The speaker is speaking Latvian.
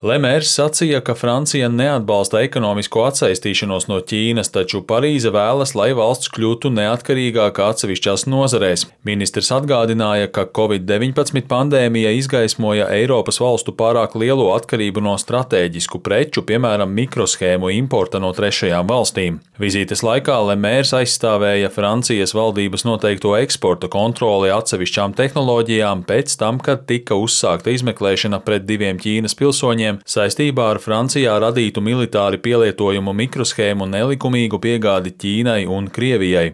Lemērs sacīja, ka Francija neatbalsta ekonomisko atsaistīšanos no Ķīnas, taču Parīze vēlas, lai valsts kļūtu neatkarīgāka atsevišķās nozarēs. Ministrs atgādināja, ka Covid-19 pandēmija izgaismoja Eiropas valstu pārāk lielo atkarību no stratēģisku preču, piemēram, mikroshēmu importa no trešajām valstīm. Vizītes laikā Lemērs aizstāvēja Francijas valdības noteikto eksporta kontroli atsevišķām tehnoloģijām pēc tam, kad tika uzsākta izmeklēšana pret 2 Ķīnas pilsoņiem saistībā ar Francijā radītu militāri pielietojumu mikroshēmu nelikumīgu piegādi Ķīnai un Krievijai.